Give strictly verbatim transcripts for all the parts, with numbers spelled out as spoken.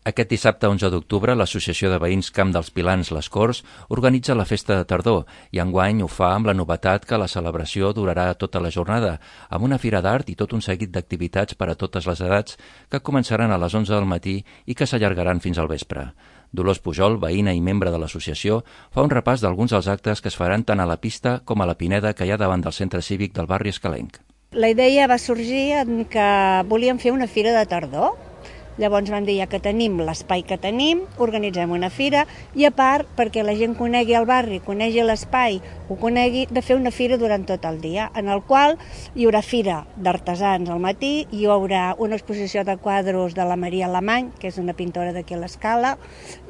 Aquest dissabte onze d'octubre, l'Associació de Veïns Camp dels Pilans Les Corts organitza la festa de tardor i enguany ho fa amb la novetat que la celebració durarà tota la jornada, amb una fira d'art i tot un seguit d'activitats per a totes les edats que començaran a les onze del matí i que s'allargaran fins al vespre. Dolors Pujol, veïna i membre de l'associació, fa un repàs d'alguns dels actes que es faran tant a la pista com a la pineda que hi ha davant del centre cívic del barri escalenc. La idea va sorgir en que volíem fer una fira de tardor. Llavors vam dir, ja que tenim l'espai que tenim, organitzem una fira i a part, perquè la gent conegui el barri, conegui l'espai, ho conegui, de fer una fira durant tot el dia, en el qual hi haurà fira d'artesans al matí, hi haurà una exposició de quadros de la Maria Alemany, que és una pintora d'aquí a l'Escala,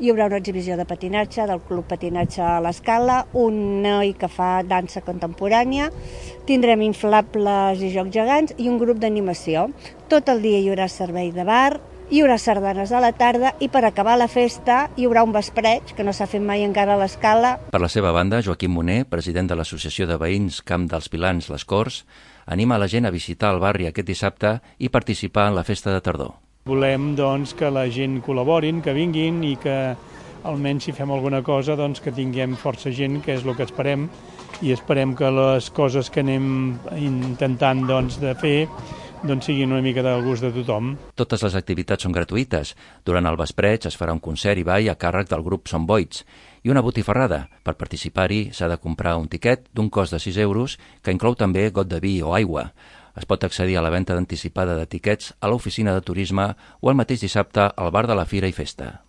hi haurà una exhibició de patinatge del Club Patinatge a l'Escala, un noi que fa dansa contemporània, tindrem inflables i jocs gegants i un grup d'animació. Tot el dia hi haurà servei de bar, hi haurà sardanes a la tarda i per acabar la festa hi haurà un vespreig, que no s'ha fet mai encara a l'Escala. Per la seva banda, Joaquim Moner, president de l'Associació de Veïns Camp dels Pilans Les Corts, anima la gent a visitar el barri aquest dissabte i participar en la festa de tardor. Volem doncs, que la gent col·laborin, que vinguin i que almenys si fem alguna cosa doncs, que tinguem força gent, que és el que esperem, i esperem que les coses que anem intentant doncs, de fer doncs siguin una mica del gust de tothom. Totes les activitats són gratuïtes. Durant el vespreig es farà un concert i ball a càrrec del grup Som Boits i una botifarrada. Per participar-hi s'ha de comprar un tiquet d'un cost de sis euros que inclou també got de vi o aigua. Es pot accedir a la venda anticipada de tiquets a l'oficina de turisme o el mateix dissabte al bar de la Fira i Festa.